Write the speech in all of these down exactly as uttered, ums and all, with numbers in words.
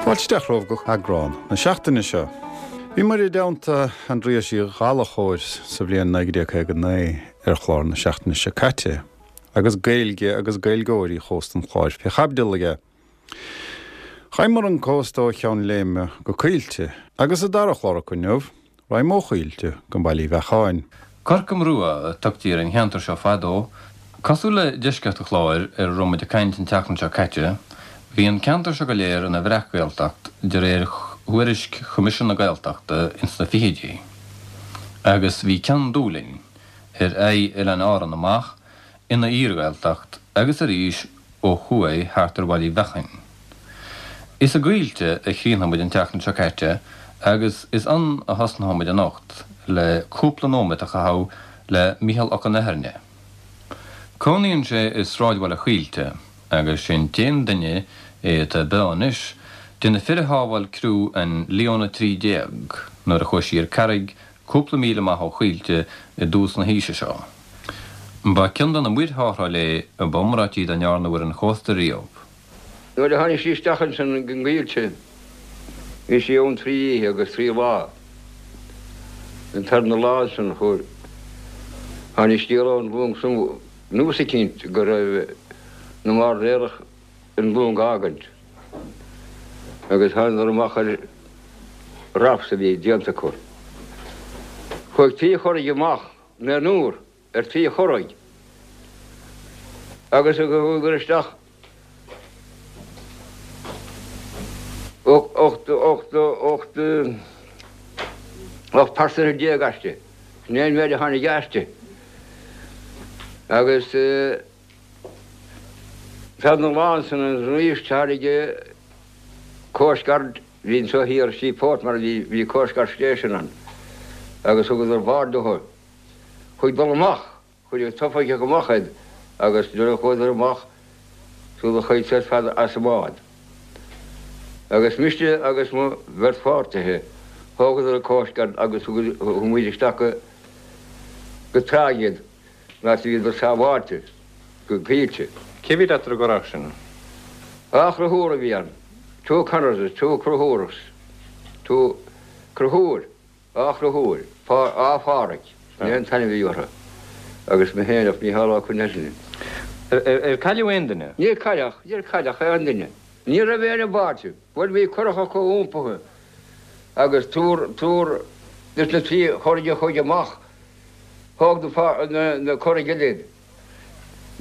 Fáilte isteach romhaibh go heagrán na seachtaine seo. Bhíomar i dteannta Aindrias Uí Ghallchóir sa bhliain naoi déag caoga naoi ar chlár na seachtaine seo caite, agus Gaeilge agus Gaeilgeoirí chósta an Chláir fé chaibidil aige. Chaitheamar an cósta ó Cheann Léime go Coillte, agus sa dara chlár acu inniu, raghaim ó Choillte go Baile Uí Bheacháin. Corcam Rua a tugtaí ar an cheantar seo fadó, cosúil le deisceart an Chláir ar a raibh muid ag caint an tseachtain seo caite. Bhí an ceantar seo go léir ina bhreac-Ghaeltacht de réir thuairisc Choimisiún na Gaeltachta ins na fichidí, agus bhí Ceann Dúlainn, ar aghaidh Oileáin Árann amach, ina fhíor-Ghaeltacht agus arís ó thuaidh thart ar Bhaile Uí Bheacháin. Is i gCoillte a chríochnaigh muid an tseachtain seo caite agus is ann a thosnóidh muid anocht le cúpla nóiméad a chaitheamh le Mícheál Ó Conaitheirne. Cónaíonn sé i sráidbhaile Choillte agus sé'n t-aon duine é atá beo anois de na fir a shábháil criú an Leon a trí déag nuair a chuaigh sí ar carraig cúpla míle amach ó Choillte i dtús na haoise seo. Ba ceann de na muirtháthráil é a ba iomráití dá ndearnadh ar an chósta riamh. Nuair a tháinig sí isteach ansin go gCoillte bhí sí ann trí oíche agus trí lá. An tarna lá ansin chuir tháinig scéala ón long san nós eicínt go raibh na mairnéalaigh an long a fhágaint agus thánadar amach ar rafts a bhí déanta acu. Chuaigh trí churraigh amach naonúr ar trí churraigh agus chuadar isteach ocht ocht ocht ocht pearsana déag aisti. Sin é an méid a tháinig aisti. Agus tarna lá ansin arís tháinig Coast Guard, bhí anseo thiar Seaport mar bhí bhí Coast Guard Station ann agus thugadar bád dóibh. Chuaigh dul amach, chuir an t-oifigeach amach iad agus nuair a chuadar amach sula chuaigh siad fad as an mbád. Agus mise agus mo bheirt pháirtithe, thógadar an Coast Guard agus thug muid isteach go go tráigh iad. Mar bhíodar sábháilte go Coillte. Cé bhí leat ar an gcurach sin? Dhá chonchúr a bhí ann, two Connors, two Conchúrs, two Conchúr, dhá Chonchúr, Dhá Pháraic, sin é an t-ainm a bhí orthu, agus mé féin ach Mícheál Ó Conaitheirne. Ar cailleadh aon duine? Níor cailleadh, níor cailleadh aon duine. Ní raibh éinne báite. Bhuel bhí curach acu iompaithe agus triúr, triúr des na trí churraigh a chuaigh amach Thóg na curaigh eile iad.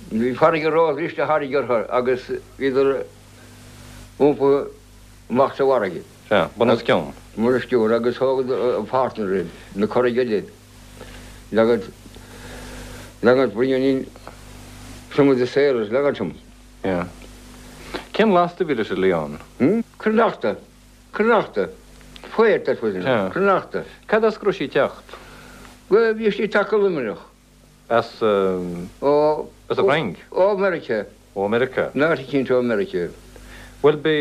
Bhí farraige róbhriste a tháinig orthu agus bhíodar iompaithe amach sa bhfarraige. Sea, bun os cionn. Bun os cionn agus thóg an partner iad, na curaigh eile iad. Leagad, leagad bringing in some of the sailors, leagad them. Yeah. Cén lasta a bhí leis an Leon? Hmm? Cneachta. Cneachta. Fuair, that was enough. Cneachta. Cad as go raibh sí ag teacht? Bhuel, bhí sí ag teacht go Luimneach. As, Ó, as an bhFrainc? Ó Mheiriceá. Ó Mheiriceá. In áit eicínt ó Mheiriceá. Bhuel, b'é,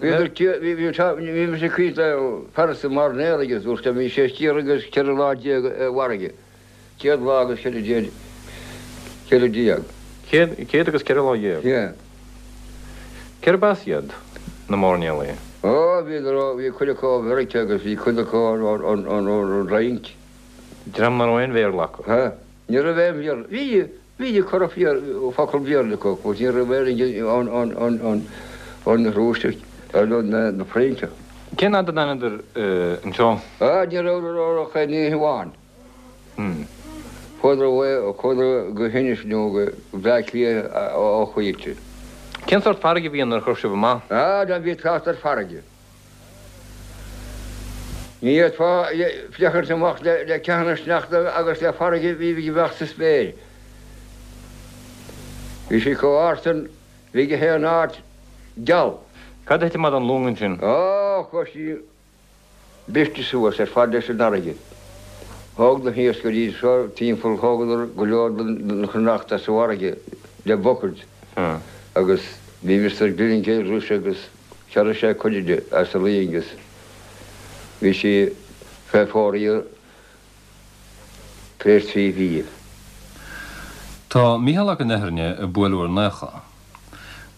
Bhíodar, bhí, bhí, bhí mise ag caint le fear sna mairnéalaigh agus dúirt sé, bhí sé céad agus ceithre lá déag i bhfarraige. Céad lá agus ceithre déag, ceithre déag. Céad, céad agus ceithre lá dhéag? Yeah. Cérb as iad, na mairnéalaigh? Ó, bhíodar ó, bhí cuid acu ó Mheiriceá agus bhí cuid acu ón, ón, ón, ón Fhrainc. Dream nach raibh aon Bhéarla acu? Ha, ní raibh aon Bhéarla. Bhí, bhí corr focal Béarla acu, ach ní raibh aon ón, ón, ón, ón, ón Rúiseach, nó na, na Frainceach. Cén fhad a d'fhanadar anseo? Á, ní rabhadar ach aon oíche amháin. Chuadar away, chuadar go hInis nó go Bleá Cliath ó Choillte. Cén sórt farraige a bhí ann nuair a chuaigh sibh amach? Ah, ná bí ag trácht ar farraige. Ní fhéadfá féachaint amach le ceathanna sneachta agus le farraige a bhí ag imeacht sa spéir. Bhí sí chomh ard san, bhí gach aon áit geal. Cad a thit amach don long ansin? Á, chuaigh sí briste suas ar fad leis an fharraige. Thóg na hiascairí seo timpeall, thógadar go leor den chneachta as an bhfarraige le bucket agus bhí Mister Gilligan leis agus chearraigh sé cuid de as an loing agus bhí sí fé fóraoil tar éis trí mhí. Tá Mícheál Ó Conaitheirne ag bualadh ar naocha.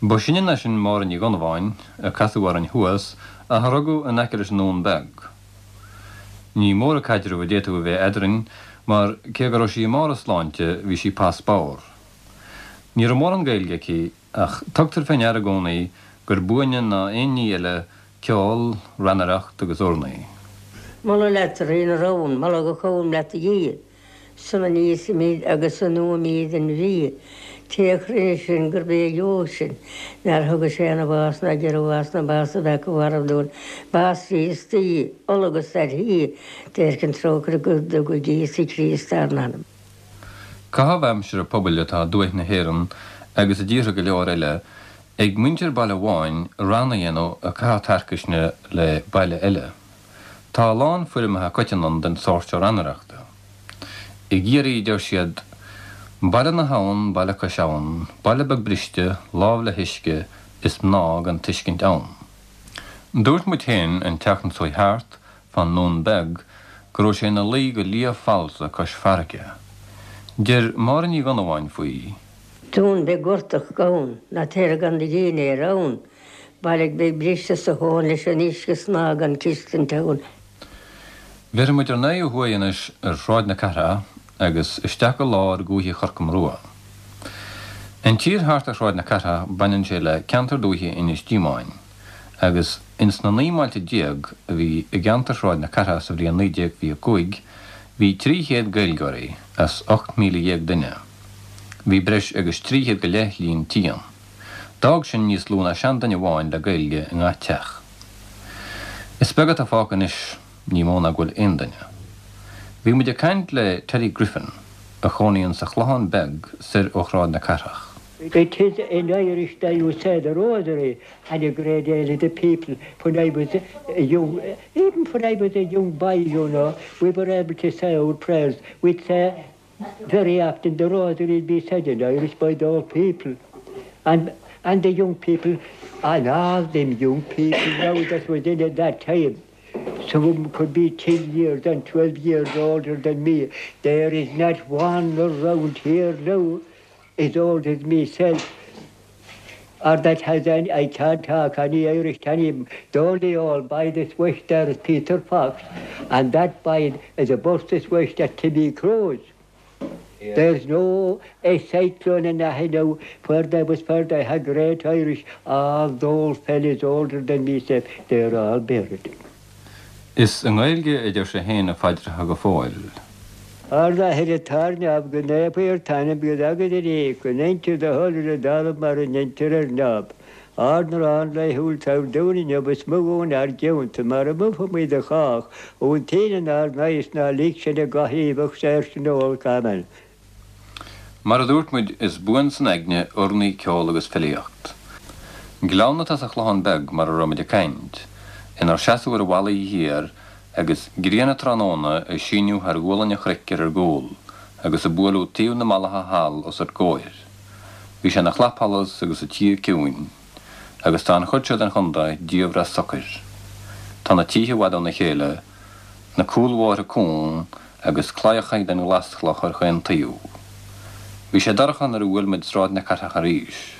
Ba shine ná sin Máire Ní Dhonnabháin, a casadh orainn thuas, a rugadh in aice leis an nDún Beag. Ní mór an caidreamh a d'fhéadfadh a bheith eadrainn, mar cé go raibh sí i mbarr a sláinte bhí sí pas bodhar. Ní raibh mórán Gaeilge aici ach tugtar fé ndeara i gcónaí gur buaine ná aon ní eile ceol, rannaireacht agus urnaí. Moladh leat a Rí na rón, moladh go cóim leat a Dhia, Sona n-íosfaimid agus a n-ólfaimid den bhia, Té a chruinnigh sinn gurb é a gheobhadh sinn, Nár thuga sé ina bhás ná deireadh bhás ná bás a bheadh a mharbh dúinn, Bás Ríostaí, ola agus taithí, Déirc an trócaire go dtuga Íosa Críost ár n-anam. Caitheamh aimsire pobail atá i dtuaith na hÉireann agus i dtíortha go leor eile ag muintir baile amháin rann a dhéanamh ag caitheamh tarcaisne le baile eile. Tá a lán foirmeacha coiteann ann den sórt seo rannaireachta. I gCiarraí deir siad, Baile na hAbhann, baile cois abhann, baile beag briste, lámh le huisce, is mná gan tuiscint ann. Dúirt muid féin an tseachtain seo thart fán nDún Beag go raibh sé ina luí go liath falsa cois farraige. Deir Máire Ní Dhonnabháin faoi. Dún beag gortach gann, ná taire gan do dhéine ar ann, Baile beag briste sa thóin leis an uisce is mná gan tuiscint ann. Bhéarfaidh muid ár n-aghaidh ó thuaidh anois ar Shráid na Cathrach agus isteach go lár dhúiche Chorca Murua. An tír thart ar Shráid na Cathrach baineann sé le ceantar dúiche Inis Díomáin, agus ins na naoi mbailte déag a bhí i gceantar Shráid na Cathrach sa bhliain naoi déag fiche a cúig, bhí trí chéad Gaeilgeoirí as ocht míle dhéag duine. Bhí breis agus trí chéad go leith líon tí ann. D'fhág sin níos lú ná seanduine amháin le Gaeilge i ngach teach. Is beag atá fágtha anois, ní mó ná go bhfuil aon duine. Bhí muid ag caint le Terry Griffin, a chónaíonn sa Chlochán Beag soir ó Shráid na Cathrach. It is in Irish that you say the rosary and a great deal of the people when I was a young, even when I was a young boy, you know, we were able to say our prayers. We'd say very often the rosary would be said in Irish by the old people. And and the young people, and all them young people now that was in at that time, some of them could be ten years and twelve years older than me. There is not one around here now as old as myself or that has any, I can't talk any Irish to any of them. The only old boy that's wished there is Peter Fox, and that boy is a bus wished at Timmy Cruz. Yeah. There's no a cyclone in the now where there was where they had great Irish, all those fellows older than myself, they're all buried. Is i nGaeilge a deir sé féin a phaidreacha go fóill. Ár n-Athair atá ar neamh, go naofar t'ainm, go dtaga do rí, go ndéantar do thoil ar an dtalamh mar a ndéantar ar neamh. Ár n-arán laethúil tabhair dúinn inniu is maith dúinn ár gcionta mar a mhaithimid do chách, ón tine inár n-aghaidh is ná lig sinn i gcathaoibh ach saor sinn ó olc. Amen. Mar a dúirt muid, is buan san aigne urnaí, ceol agus filíocht. Gleann atá sa Chlochán Beag mar a raibh muid ag caint, inár seasamh ar bhallaí thiar agus grian an tráthnóna ag síneadh thar ghualainn an chnoic ar ár gcúl agus ag bualadh taobh na mallaithe thall os ár gcomhair. Bhí sé ina chlapsholas agus an tír ciúin, agus tá an chuid seo den chontae diamhrach socair. Tá na tithe i bhfad óna chéile, na cúlbhóithre cúng agus claíocha den ghlaschloch ar chaon taobh. Bhí sé dorcha nuair a bhuail muid Sráid na Cathrach arís.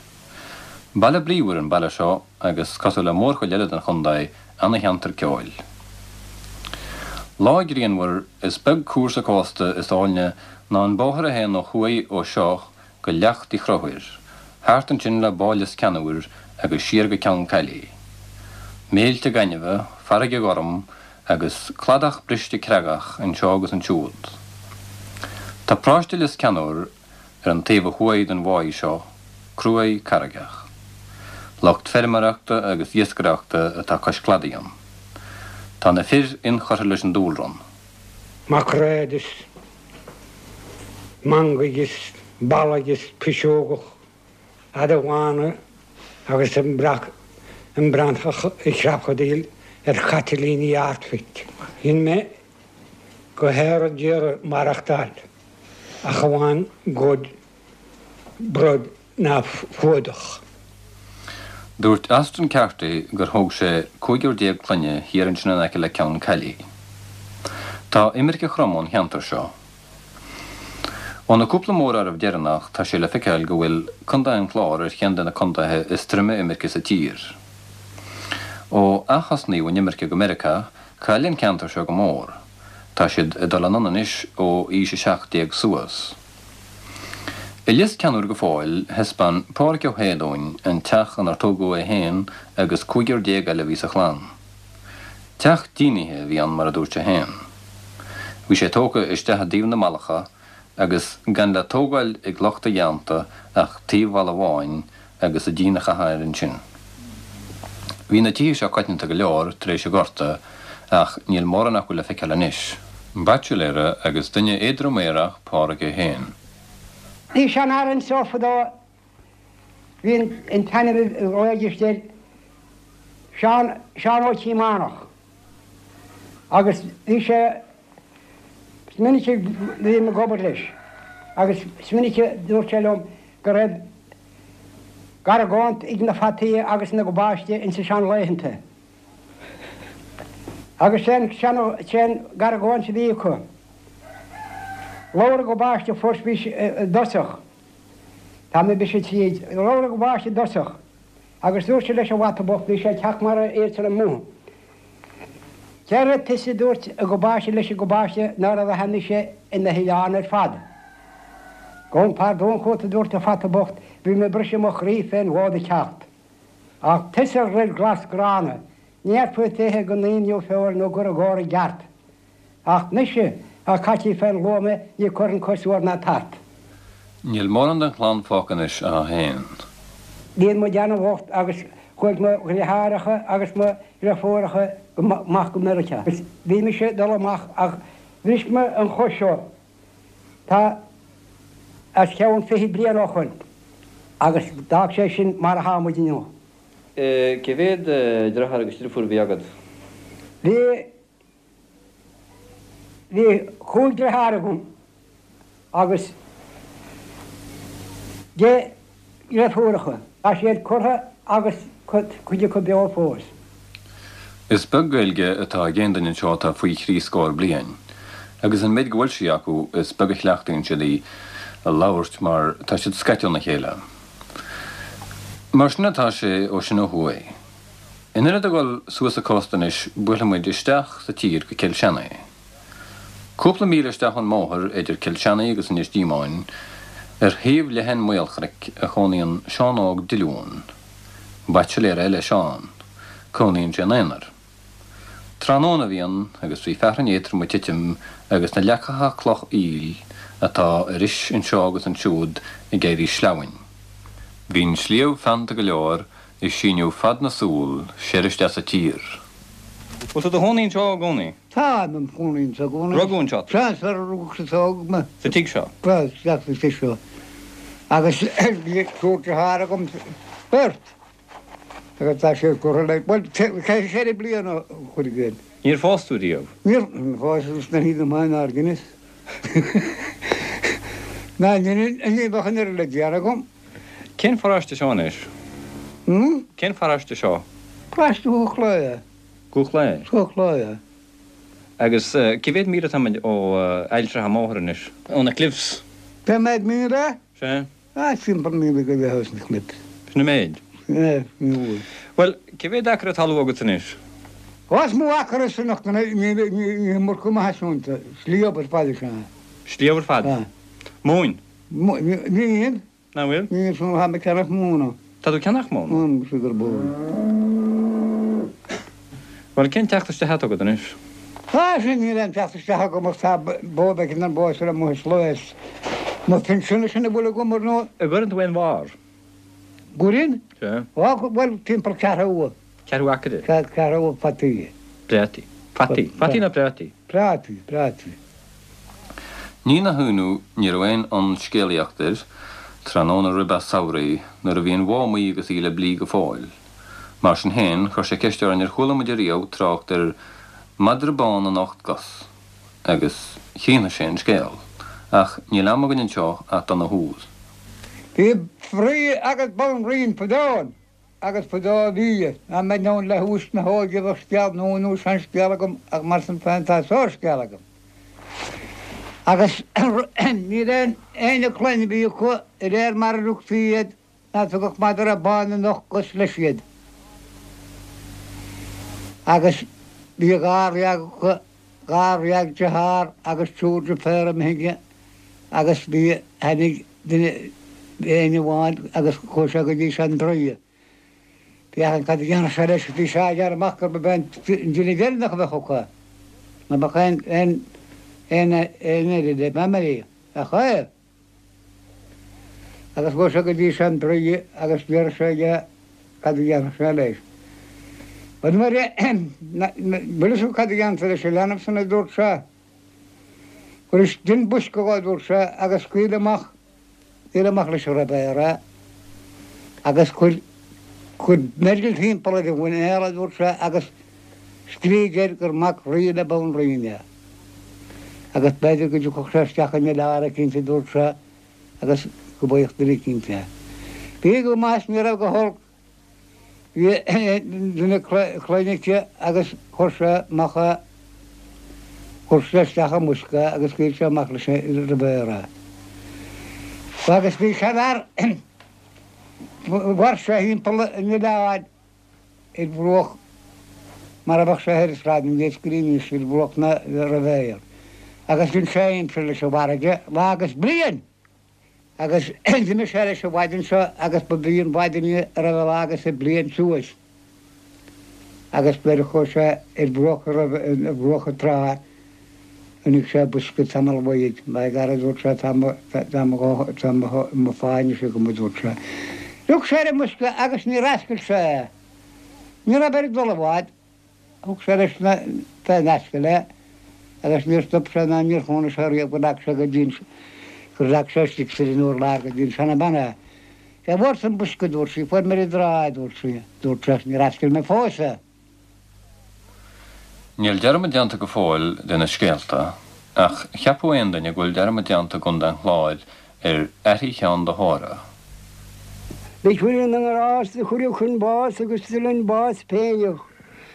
Baile bríomhar an baile seo agus cosúil le mórchuid eile den chontae, ana-cheantar ceoil. Lá grianmhar, is beag cúrsa cósta is áilne ná an bóthar a théann ó thuaidh ó seo go Leacht Uí Chonchúir, thart ansin le Bá Lios Ceannúir agus siar go Ceann Caillí. Méilte gainimhe, farraige ghorm agus cladach briste creagach anseo agus ansiúd. Tá paróiste Lios Ceannúir ar an taobh ó thuaidh den bháigh seo, cruaidh carraigeach. Lucht feirmeoireachta agus iascaireachta atá cois cladaigh ann. Tá na fir inchurtha leis an dúlra. Macréad is mangaigh is ballaigh is piseogach fhada bhána agus an breac an brantach ag crapadáil ar chaitlíní Ardphoint. Dhein mé go haer a d'iarraidh maireachtáil ach amháin ghoid, broid ná fuadach. Dúirt Austin Carty gur thóg sé cúigear déag clainne thiar ansin in aice le Ceann Caillí. Tá imirce throm ón cheantar seo. Ó na cúpla móráireamh deireanach tá sé le feiceáil go bhfuil Contae an Chláir ar cheann de na contaetha is troime imirce sa tír. Ó athosnaíodh an imirce go Meiriceá, chaill an ceantar seo go mór. Tá siad ag dul anonn anois ó aois a seacht déag suas. I Lios Ceannúir go fóill, thaispeáin Pádraig Ó hAodha dúinn an teach inar tógadh é féin agus cúigear déag eile a bhí sa chlann. Teach dínithe a bhí ann mar a dúirt sé féin. Bhí sé tógtha isteach i dtaobh na mballacha agus gan le tógáil ag lucht a dhéanta ach taobh bhalla amháin agus an díon a chaitheamh air ansin. Bhí na tithe seo coitianta go leor tar éis an Ghorta ach níl mórán acu le feiceáil anois. Baitsiléara agus duine éadrom aerach Pádraig é féin. Bhí seanfhear anseo fadó, bhí an t-ainm a ghlaoidís air Seán Seán Ó Tíománach agus bhí sé Is minic a bhím ag obair leis agus is minic a dúirt sé liom go raibh argóint ag na fataí agus na gabáiste insa seanlaethanta. Agus sé an argóint a bhí acu. Labhair an gabáiste first bhí i dtosach. Tá mé bise tríd. Labhair an gabáiste i dtosach. Agus dúirt sé leis an bhfata bocht, bhí sé ag teacht mar iadsan amuigh. Céard tusa a dúirt an gabáiste leis an gabáiste nuair a bheadh mise i na hoileán ar fad. Gabhaim pardún chugat a dúirt an fata bocht, bhí mé ag briseadh mo chroí fén bhfód ag teacht. Ach tusa a dhruil glas gránna, ní fhéadfaí tú a ithe go n-aon feoil nó gur i gcomhair i gceart. Ach mise, a caití fén luaime, ní chuirfinn cos soir ná tart. Níl mórán den chlann fágtha anois ach é féin. Bhí muid ana-bhocht agus chuaigh mo dheartháireacha agus mo dheirfiúracha amach go Meiriceá. Bhí mise ag dul amach ach bhris mé an chos seo. Tá os cionn fiche bliain ó shoin agus d'fhág sé sin mar atá muid inniu. Cé mhéad deartháir agus deirfiúr a bhí agat? Bhí bhí cúig deartháir agam agus deich ndeirfiúracha. Tá siad curtha agus cuid acu beo fós. Is beag Gaeilge atá ag aon duine anseo atá faoi thrí scór bliain, agus an méid go bhfuil sí acu is beag a chleachtaíonn siad í a labhairt mar tá siad scaite óna chéile. Mar sin atá sé ó sin ó thuaidh. In ionad a dhul suas an cósta anois buailfidh muid isteach sa tír go Cill Seanaigh. Cúpla míle isteach ón mbóthar idir Cill Seanaigh agus Inis Díomáin, ar thaobh leathan Maolchnoic a chónaíonn Seán Óg Diliún. Baitsiléir eile Seán. Cónaíonn sé ina aonar. Tráthnóna a bhí ann agus bhí fearthainn éadrom ag titim agus na leacacha cloch aoil atá ar ais anseo agus ansiúd ag éirí sleamhain. Bhí an sliabh feannta go leor ag síneadh fad na súl soir isteach sa tír. Bhfuil tú i do chónaí anseo i gcónaí? Tá, im chónaí anseo i gcónaí. Rugadh anseo tú? Sea, is rugadh sa tóg mé. Sa tigh seo? Sea, isteach sa tigh seo. Agus bhí triúr deartháir agam, beirt. Agus tá siad curtha le, bhuel, ceithre bliana ó chuir i gcéin. Níor phós tú riamh? Níor phós, sna híde maith nár dheineas. Ná ní bheadh an oiread le déanamh agam. Cén pharáiste seo anois? Hmm? Cén pharáiste seo? Paráiste Dhumha Chláir. Dhumha Chláir? Dhumha Chláir. Agus cé mhéad míle atáimid ó Aill Trá an mbóthar anois? Ó na Cliffs? Cé mhéad míle? Sea. Ah, timpeall míle go leith ós na Cliffs. Sin an méid? Sea, ní bhfuil. Bhuel, cé mhéad acra talún agat anois? Ó, is mó acra is nach ní ní murchadh maith siúnta. Sliabh ar fad is ea. Sliabh ar fad? Sea. Móin? Níl. Nach bhfuil? Níl, tá mé ag ceannach móna. Tá tú ag ceannach móna? Móna, sea, gur bó. Bhuel, cén teacht isteach atá agat anois? Tá sin, níl aon teacht isteach agam ach tá bó beag ar an bó seo amuigh is lois. Mo phinsean sin a bhfuil agam ar ndóigh. An gcuireann tú aon bharr? Gcuireann? Sea. Á, bhuel, timpeall ceathrú. Ceathrú acra? Ceathrú fataí. Prátaí. Fataí. Fataí nó prátaí? Prátaí, prátaí. Ní nach ionadh, ní raibh aon fhonn scéalaíochta air, tráthnóna roimh an samhradh, nuair a bhí an bhó amuigh agus í le blí go fóill. Mar sin féin, chuir sé ceist orainn ar chuala muid ariamh trácht ar mhadra bán na n-ocht gcos, agus chríochnaigh sé an scéal. Ach níl am againn anseo ach dona shúil. Bhí fraoch agus banríon fadó ann, agus fadó a bhí, dá mbeinn ann le haois na hóige bheadh scéal nua nó seanscéal agam ach mar sin féin tá sár-scéal agam. Agus ní raibh aon chlann a bhí acu de réir mar a rugtaí iad ná tugadh madra bán an ocht gcos leis iad. Agus bhí dháréag acu, dháréag deartháir agus triúr deirféar imithe agus bhí tháinig duine éinne amháin agus chuaigh sé go dtí sean Draoi. Féachaint cad a dhéanfadh sé leis, bhí sé á ghearradh amach gurb é an duine deireanach a bheadh acu. Ná beadh aon aon aon aon eile le memory ach é. Agus chuaigh sé go dtí sean Draoi agus d'iarr sé aige cad a dhéanfadh sé leis. Bhuel nuair a bhfuil fhios agat cad a dhéanfá leis an leanbh san a dúirt sé. Cuir dein bosca dhó a dúirt sé agus scaoil amach scaoil amach leis an river é agus cuir cuir meirgil timpeall ar a mhuinéal a dúirt sé agus scrígh air gur mac rí le banríon é. Agus b'fhéidir go dtiocfadh sé isteach in oileán eicínt a dúirt sé agus go bhfaigheadh duine eicínt é. Bhí go maith is ní raibh go holc. Bhí duine clainne aici agus chuir sé amach é, chuir sé isteach i mbosca é agus scaoil sé amach leis an river é. Agus bhí seanfhear, mhair sé thimpeall an oileáin ar bhruach mar a bheadh sé thoir i Sráid na nIascairí anois ar bhruach na river. Agus dhein sé aimsir leis an bhfarraige lá agus bliain. Agus d'imigh sé leis an mhaidin seo agus ba í an mhaidin í a raibh a lá agus a bliain suas. Agus nuair a chuaigh sé ar bhruach a raibh ar bhruach an trá chonaic sé bosca tamall uaidh. By gar a dúirt sé tá mo tá mo tá mo mo phá anois agam a dúirt sé. Rug sé ar an mbosca agus níor oscail sé é. Ní raibh air dul i bhfad. Thug sé leis na fén ascaill é agus níor stop sé ná níor chónaigh sé riamh go ndeachaigh sé go dtí an gur leag sé istigh ar an urlár go dtí an seana-bhean é. Cé bhfuair tú an bosca, a dúirt sí, fuair mé ar an dtrá é, a dúirt sí. Dúirt sé, níor oscail mé fós é. Níl dearmad déanta go fóill de na scéalta, ach cheapfadh aon duine go bhfuil dearmad déanta i gContae an Chláir ar aithrí Cheann do Thóra. Mhic Mhuire na nGrást do cuireadh chun báis agus d'fhuil an bás péineach.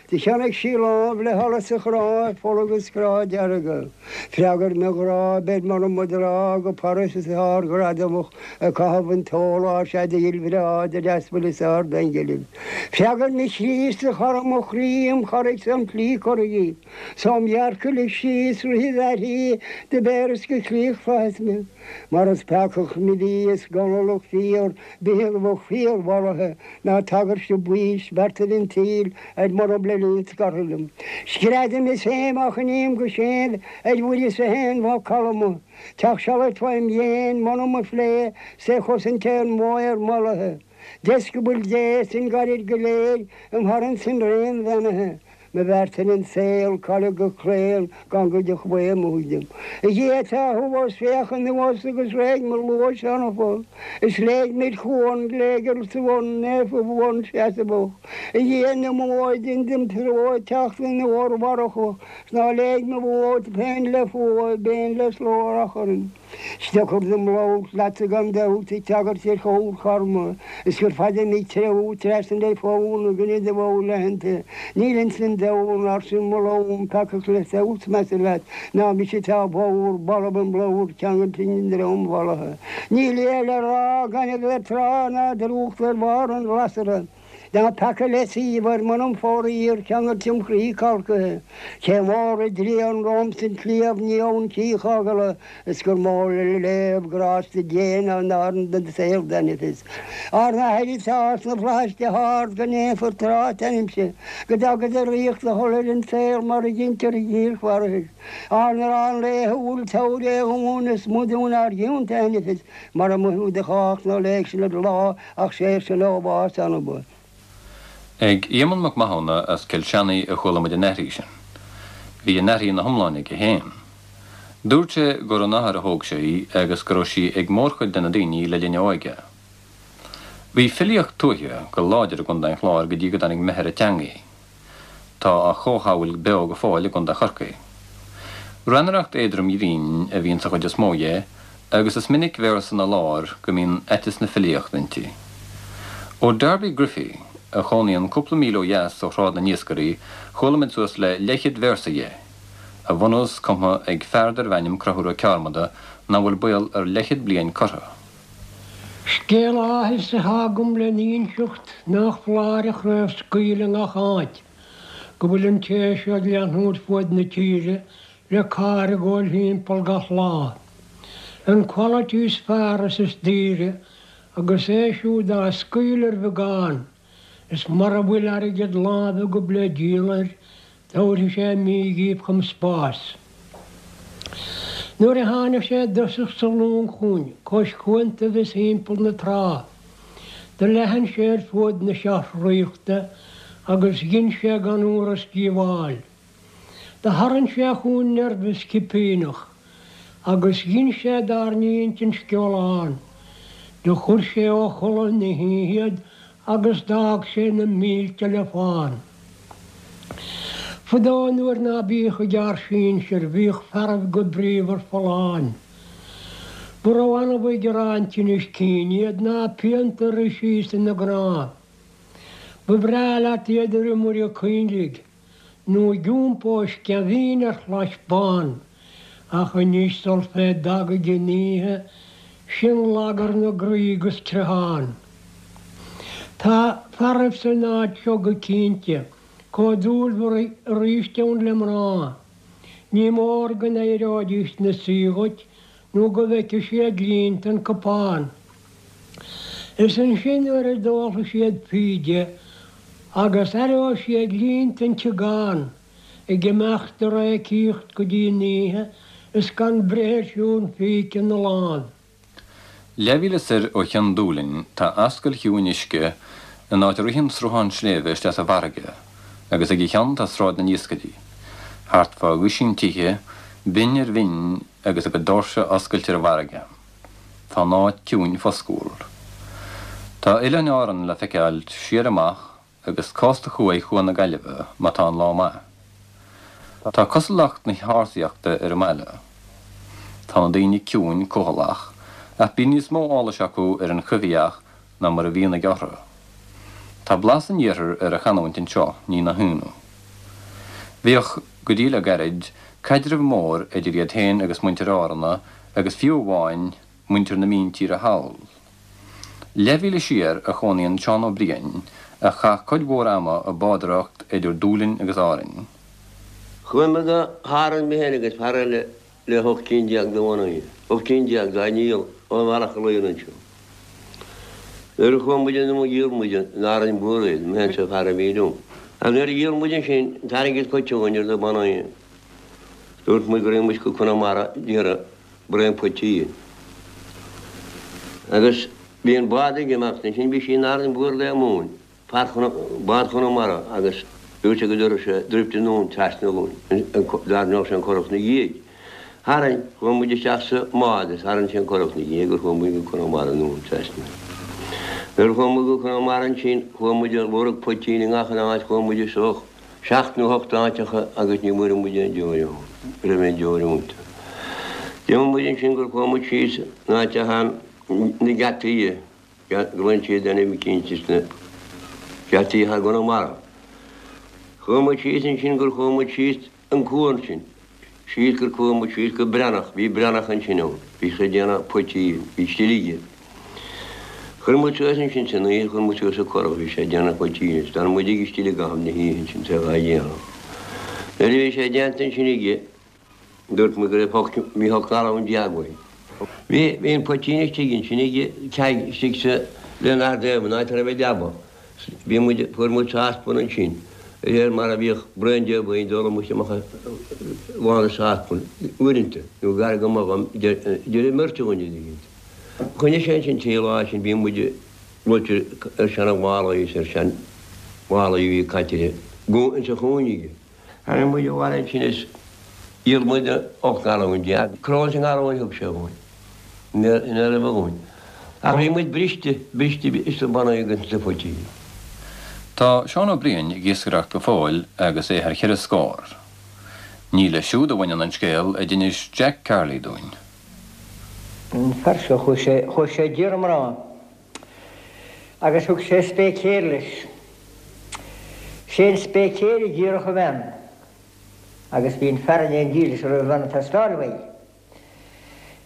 Do cheannaigh sí lámh le hallas a chrá, fola agus grá dearga. Freagair mo ghrá, beir m'anam mo dhrá go Páras is ardghradamach ag caitheamh an t-ól sea do ghil bhreá do deasbhaile is ard-aingilibh. Freagair mo chroí is do chara mo chroí im charraig 's im shlí corraigh 's óm dhearcadh lig síos rith id aithrí do bhéaras go críoch flaitheas mé. Mar is peacach me bhí is ginealach fíor bitheadh fíor-mharaithe ná tagairt do baois beartaibh an tsaoil ar m'anam le linn scartha liom. Screadaim is éim ach an ím go séimh ar Mhuire is a haon mhac calma. Teach sealad fém dhéin m'anam a phlé 's é chosaint ar mhaor mallaithe. Deisceabail Dé 's an gairid go léir im tharraingt san réim bheannaithe. Mo bheart ar an saol, cailleadh go claon gan go dtiocfadh aon mhothú dom. A Dhia atá thuas, féach anuas agus réidh mo luas anfa. Is léig mid chuan, léigear sa bhun, naofa bhuan seasamhach. A Dhia na mbó, dein dom treo teacht in uair mharfach, 's ná léig mo bhó féin le fuath, béin le slógh achrann. 'S deacair dom labhairt leatsa gan dabht ag tagairt ar chomhair charma, is gur fada mé ag treabhadh trasna le fonn ag an idir bhó leathanta. Níl ins an domhan, arsa mo lón, peacach le feabhas measa leat ná mise atá bodhar, balbh im bladhar, ceangailte i ndroim mhallaithe. Níl a le rá gan a bheith tráth ná drúcht ar bharr an ghlasra. Ná peaca le suíomh ar m'anam faraor ceangailte im chroí calcaithe. Cé mór a dtrian romham san tsliabh ní abhann cích fhágála is gur mó le léamh grásta Dé ná an árann den saol d'ainifis. Ár nAthair atá sna flaithis go hard go ndéanfar tráth t'ainmse, go dtaga do ríocht do thoil ar an saol mar a deintear i dtír pharthais. Ár n-arán laethúil tabhair é dhúinn is maith dúinn ár gcionta a ainifis mar a maithiú do chách ná léig sinn i lá ach saor sinn ó bhás anaba. Ag Éamonn Mac Mathúna as Cill Seanaigh a chuala muid an aithrí sin. Bhí an aithrí ina hiomláine aige féin. Dúirt sé gur óna athair a thóg sé í agus go raibh sí ag mórchuid de na daoine le linn a óige. Bhí filíocht tuaithe go láidir i gContae an Chláir go dtí go dtáinig meidhir teangaí. Tá a chomhshamhail beo go fóill i gContae Chorcaí. Rannaireacht éadrom ghrinn a bhíonn sa chuid is mó dhe agus is minic véarsa ina lár go mbíonn aiteas na filíochta inti. Ó Darby Griffey, a chónaíonn cúpla míle ó dheas ó Shráid na nIascairí, chuala muid suas le leathchéad véarsa dhe, a bhunús cumtha ag fear darbh ainm Conchúr Ó Cearmada nach bhfuil baol ar leathchéad bliain curtha. Scéal áthais atá agam le n-inseacht nach foláir a chraobhscaoileadh i ngach áit, go bhfuil an té seo ag leathnú fuaid na tíre le carr ag gabháil thimpeall gach lá. An quality is fearr is is daoire agus é siúd á scaoileadh ar bheagán, is mura bhfuil airgead láimhe agaibh le díol air, tabharfaidh sé mí dhíbh chun spáis. Nuair a tháinig sé i dtosach sa long chugainn cois cuantaibh is thimpeall na trá, do leathan sé ar fuaid na seacht ríochta agus dhein sé gan amhras díobháil. Do tharraing sé chugainn nervous cipíneach agus dhein sé dár n-intinn sceolán. Do chuir sé ó chodladh na hoíche iad agus d'fhág sé na mílte le fán. Fadó nuair ná bíodh ag ár sinsir bhíodh fearaibh go bríomhar folláin. Ba ró-annamh ag gearán tinnis cinn iad ná pianta a rith síos ina gcnámh. Ba bhreá leat iad ar iomaire coinnligh nó ag iompó sceimhín ar chlais bán, ach anois sul fé dtagaidh an oíche, sin lagar na gcroí agus creathán. Tá fearaibh san áit seo go cinnte chomh dúilmhar aríst ann le mná. Ní mór go n-éireoidís 'na suí dhuit nó go bhfeicfidh siad líonta an cupán. Is ansin nuair a d'ólfaidh siad píde agus aireoidh siad líonta an tsiogán ag imeacht ag réicíocht go dtí an oíche is gan breith ar siúl an phíce ina láimh. Leathmhíle soir ó Chionn Dúlainn tá ascaill chiúin uisce in áit a ritheann sruthán sléibhe isteach sa bhfarraige, agus ag a cheann tá Sráid na nIascairí. Thart fá dhuisín tithe, binn ar bhinn agus a gcuid doirse oscailte ar an bhfarraige. Tá an áit ciúin foscúil. Tá Oileáin Árann le feiceáil siar amach agus cósta thuaidh Chuan na Gaillimhe má tá an lá maith. Tá cosúlacht na hársaíochta ar an mbaile. Tá na daoine ciúin cúthaileach, ach bíonn níos mó eolais acu ar an choimhthíoch ná mar a bhíonn ag orthu. Tá blas an iarthair ar an chanúint anseo, ní nach ionadh. Bhíodh, go dtí le gairid, caidreamh mór idir iad féin agus muintir Áranna agus fiú amháin muintir na míntíre thall. Leathmhíle siar a chónaíonn Seán Ó Briain, a chaith cuid mhór ama ag bádóireacht idir Dúlainn agus Árainn. Chuaigh mé go hÁrainn mé féin agus fear eile le hocht gcinn déag de bhannaí, ocht gcinn déag dá ndíol ó Bhealach a Laoire anseo. Nuair a chuaigh muid anonn dhíol muid in Árainn Mhór iad, mé féin is an fear a bhí liom. Ach nuair a dhíol muid ansin, an t-airgead caite againn ar na bannaí, dúirt muid go raibh muid go Conamara d'iarraidh braon poitín. Agus bhí an bád ag imeacht ansin, bhí sí in Árainn Mhór le móin, fear bád Chonamara agus dúirt sé go dtabharfadh sé druipt anonn trasna dhúinn, dtarraingeodh sé an curach 'na dhiaidh. Tharraing, chuaigh muid isteach sa mbád is tharraing sé an curach 'na dhiaidh gur chuaigh muid go Conamara anonn trasna. Nuair a chuaigh muid go Conamara ansin, chuaigh muid ag lorg poitín i ngach aon áit, chuaigh muid isteach seacht nó hocht áiteacha agus ní bhfuair muid aon deoir ann, ní raibh aon deoir iontu. D'imigh muid ansin gur chuaigh muid síos in áit atá na geataí, glaonn siad ainm eicínt is na geataí atá i gConamara. Chuaigh muid síos ansin gur chuaigh muid síos an cuan sin. Síos gur chuaigh muid síos go Breathnach, bhí Breathnach ansin ann, bhí sé ag déanamh poitín, bhí still aige. Chuir muid suas ansin san oíche, chuir muid suas an curach, bhí sé ag déanamh poitín is d'fhan muid aige istigh i gcaitheamh na hoíche ansin, is é dhá dhéanamh. Nuair a bhí sé déanta ansin aige, dúirt muid go raibh hocht, bhí hocht ngalún déag uainn. Bhí, bhí an poitín istigh ansin aige, ceaig istigh sa, le Ard Éamonn, áit a raibh an leaba. Bhí muid, fuair muid sáspan ansin, de réir mar a bhíodh braon déag againn d'óladh muid amach lán an sáspan, uaireanta, nó gar go mbeadh an, idir an mbeirt againn, a dtuigeann tú. Choinnigh sé ansin trí lá ansin, bhí muid luite ar seana-mhálaí is ar sean-mhálaí a bhí caite insa chúinne aige. Tháinig muid abhaile ansin is dhíol muid ocht ngalún déag. Cróis an ngalúin a thug sé dhúinn, ina raibh dhúinn. Ach bhí muid briste, briste is na bannaí agus na poitín. Tá Seán Ó Briain ag iascaireacht go fóill agus é thar cheithre scór. Ní leis siúd a bhaineann an scéal a d'inis Jack Carley dúinn. An fear seo, chuaigh sé, chuaigh sé d'iarraidh mná agus thug sé spéicéir leis. Sé an spéicéir a d'iarrfadh a bhean. Agus bhí an fear in éindí leis a raibh a bhean ag teastáil uaidh.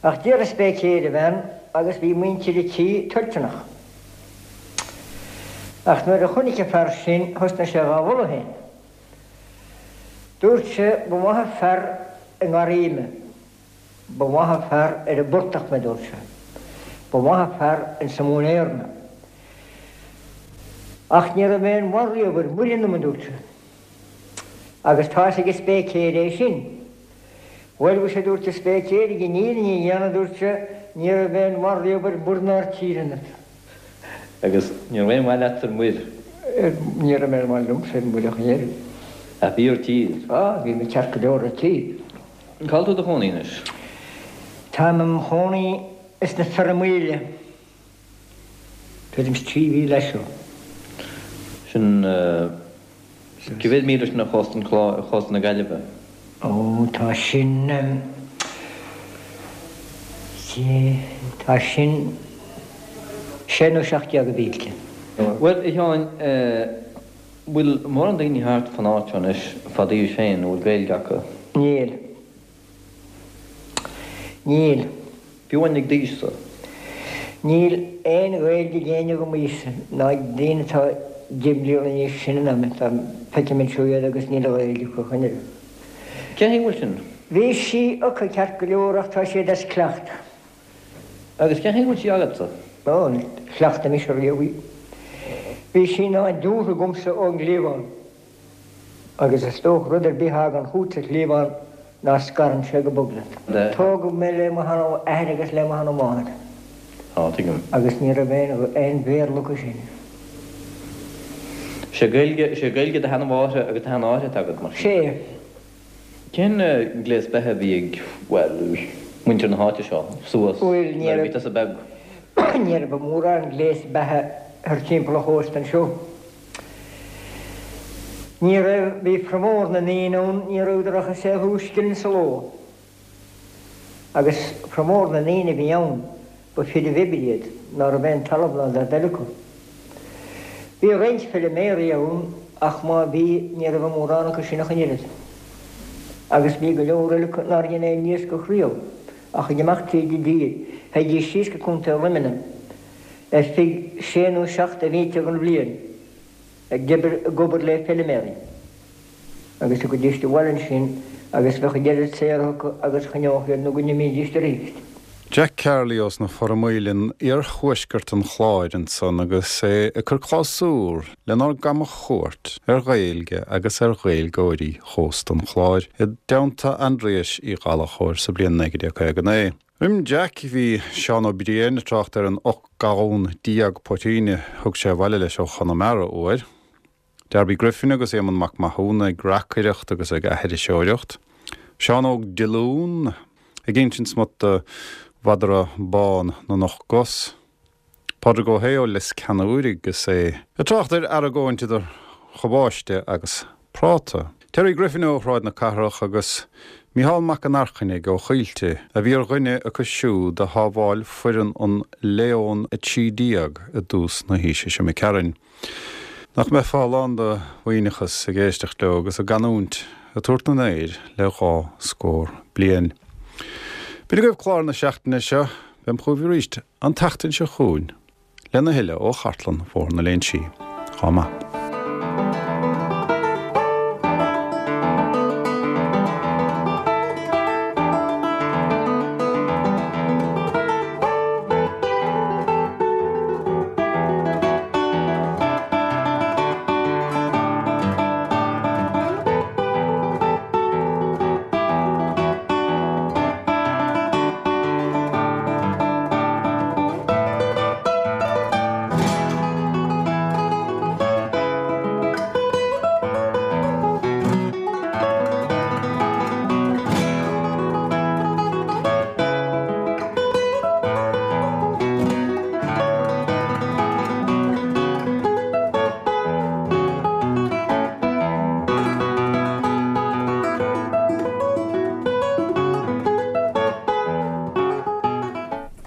Ach d'iarr an spéicéir a bhean agus bhí muintir a tí toilteanach. Ach nuair a chonaic an fear sin thosnaigh sé dhá mholadh féin. Dúirt sé, Ba mhaith an fear i ngarraí mé. Ba mhaith an fear ar an bportach mé, dúirt sé. Ba mhaith an fear insa móinéar mé. Ach ní raibh aon mhaith riamh ar muir ionam, a dúirt sé. Agus tá's ag an spéicéir é sin. Bhuel, mhuise, a dúirt an spéicéir, ag an fhírinne a dhéanamh, a dúirt sé, ní raibh aon mhaith riamh ar muir ná ar tír ionat. Agus ní raibh aon mhaith leat ar muir? Ní raibh aon mhaith liomsa ar muir ach an oiread. Ach bhí ar tír? Á, bhí mé ceart go leor ar tír. Cá bhfuil tú i do chónaí anois? Táim im chónaí sna Fearamaoile. Tuairim is trí mhíle as seo. Sin, cé mhéad míle sin ó chósta an Chláir, ó chósta na Gaillimhe? Ó, tá sin, tá sin sé nó seacht déag de mhílte. Bhuel, a Sheáin, bhfuil mórán daoine thart fan áit seo anois fá d'aois féin a bhfuil Gaeilge acu? Níl. Níl. Fiú amháin ag d'aois-sa? Níl aon Ghaeilge ag éinne de m'aois-sa, ná ag daoine atá deich mbliana níos sine ná mé. Tá, feicim anseo iad agus níl an Ghaeilge acu chun oiread. Cén chaoi a bhfuil sin? Bhí sí acu ceart go leor ach tá siad as cleachtadh. Agus cén chaoi a bhfuil sí agatsa? Ó, níor chleachtaigh mise riamh í. Bhí sí nádúrtha agamsa ón gcliabhán. Agus is dócha rud ar bith a thagann chugat sa chliabhán ná scarann sé go bog leat. Tógadh mé le mo sheanathair agus le mo sheanamháthair. Á, tuigim. Agus ní raibh aon aon Bhéarla acu sin. Sé Gaeilge, sé Gaeilge do sheanamháthar agus do sheanathar atá agat, mar sin? Sé. Cén gléas beatha a bhí ag, bhuel, muintir na háite seo suas Bhuel, ní nuair a raibh bhí tusa beag? ní raibh mórán gléas beatha thar timpeall an chósta anseo. Ní raibh, bhí formhór na ndaoine ann, ní rabhadar ach ag saothrú scilling sa ló. Agus formhór na ndaoine a bhí ann, ba fir a bh'oibre iad, ná raibh aon talamh ná dada eile acu. Bhí roinnt feiliméaraí ann ach má bhí, ní raibh mórán acu sin ach an oiread. Agus bhí go leor eile acu nár dhein aon iascach riamh, ach ag imeacht tríd an dtír, théidís síos go Contae Luimnigh ar feadh sé nó seacht de mhíte den bhliain. ag obair ag obair le feiliméaraí agus thiocfaidís abhaile ansin agus bheadh an oiread saothair acu agus a choinneodh iad nó go n-imídíst arís. Jack Carley ós na Foramaoile in iarthuaisceart an Chláir ansan agus é ag cur clabhsúr lenár gcamachuairt ar Ghaeilge agus ar Ghaeilgeoirí chósta an Chláir i dteannta Aindrias Uí Ghallchóir sa bhliain naoi déag caoga naoi. Roim Jack bhí Seán Ó Briain ag trácht ar an ocht gallún déag poitín a thug sé abhaile leis ó Chonamara uair. Darby Griffin agus Éamonn Mac Mathúna ag reacaireacht agus ag aithriseoireacht. Seán Óg Dillún ag insint smut de mhadra bán na n-ocht gcos. Pádraig Ó hAodha ó Lios Ceannúir agus é ag trácht ar argóint idir chabáiste agus práta. Terry Griffin ó Shráid na Cathrach agus Mícheál Mac an Airchinnigh ó Choillte a bhí ar dhuine acu siúd a shábháil foireann an Leon a trí déag i dtús na haoise seo imigh tharainn. Nach mbeifeá lán de mhaoithneachas ag éisteacht leo agus a gcanúint ag tabhairt an aeir le dhá scór bliain. B'in agaibh clár na seachtaine seo, beam chugaibh arís an tseachtain seo chugainn lena thuilleadh ó chartlann Bhóthar na Léinsí. Chomh maith.